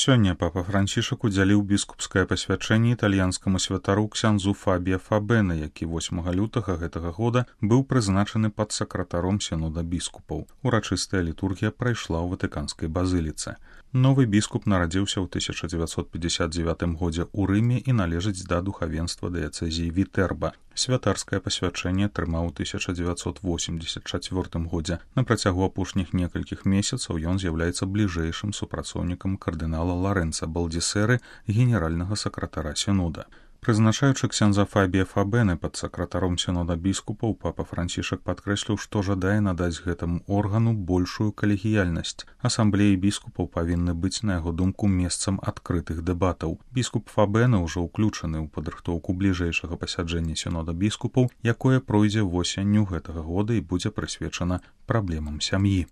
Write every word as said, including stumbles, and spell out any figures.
Сёння папа Францішак удзяліў біскупскае пасвячэнне італьянскаму святару ксяндзу Фабія Фабена, які восьмага лютага гэтага года быў прызначаны падсакратаром сінода біскупаў. Урачыстая літургія прайшла ў ватыканскай базыліцы. Новы біскуп нарадзіўся ў тысяча дзевяцьсот пятьдесят девятым годзе ў Рыме і належыць да духавенства дыяцэзіі Вітерба. Святарскае пасвячэнне атрымаў у тысяча дзевяцьсот восемьдесят чацвёртым годзе. На працягу апошніх некалькіх месяцаў ён з'яўляецца бліжэйшым супрацоўнікам кардынала Ларэнца Балдзісеры, генеральнага сакратара сінода. Прызначаючы ксяндза Фабія Фабена падсакратаром сінода біскупаў, папа Францішак падкрэсліў, што жадае надаць гэтаму органу большую калегіяльнасць. Асамблеі біскупаў павінны быць, на яго думку, месцам адкрытых дэбатаў. Біскуп Фабена ўжо ўключаны ў падрыхтоўку бліжэйшага пасяджэння сінода біскупаў, якое пройдзе восенню гэтага года і будзе прысвечана праблемам сям'і.